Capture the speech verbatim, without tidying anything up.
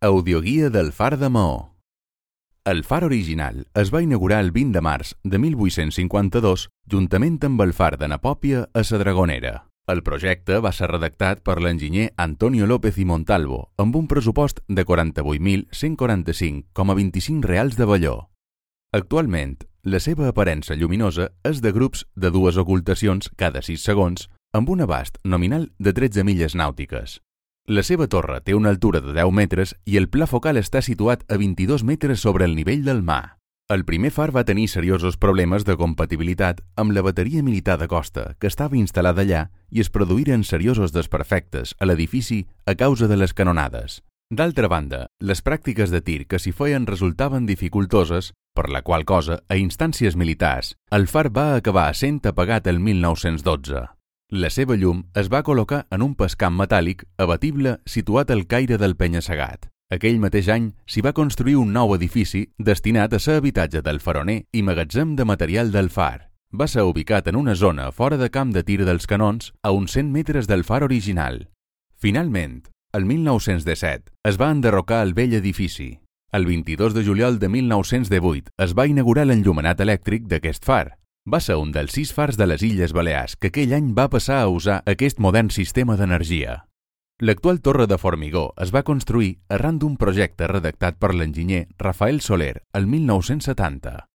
Audioguia del Far de Maó. El far original es va inaugurar el vint de març de mil vuit-cents cinquanta-dos juntament amb el far de Napòpia a la Dragonera. El projecte va ser redactat per l'enginyer Antonio López i Montalvo amb un pressupost de quaranta-vuit mil cent quaranta-cinc coma vint-i-cinc reals de Valló. Actualment, la seva aparença lluminosa és de grups de dues ocultacions cada sis segons amb un abast nominal de tretze milles nàutiques. La seva torre té una altura de deu metres i el pla focal està situat a vint-i-dos metres sobre el nivell del mar. El primer far va tenir seriosos problemes de compatibilitat amb la bateria militar de costa que estava instal·lada allà i es produïren seriosos desperfectes a l'edifici a causa de les canonades. D'altra banda, les pràctiques de tir que s'hi feien resultaven dificultoses, per la qual cosa, a instàncies militars, el far va acabar sent apagat el mil nou-cents dotze. La seva llum es va col·locar en un pescamp metàl·lic abatible situat al caire del penya-segat. Aquell mateix any s'hi va construir un nou edifici destinat a ser habitatge del faroner i magatzem de material del far. Va ser ubicat en una zona fora de camp de tir dels canons a uns cent metres del far original. Finalment, el mil nou-cents disset es va enderrocar el vell edifici. El vint-i-dos de juliol de mil nou-cents divuit es va inaugurar l'enllumenat elèctric d'aquest far. Va ser un dels sis fars de les Illes Balears que aquell any va passar a usar aquest modern sistema d'energia. L'actual torre de formigó es va construir arran d'un projecte redactat per l'enginyer Rafael Soler el mil nou-cents setanta.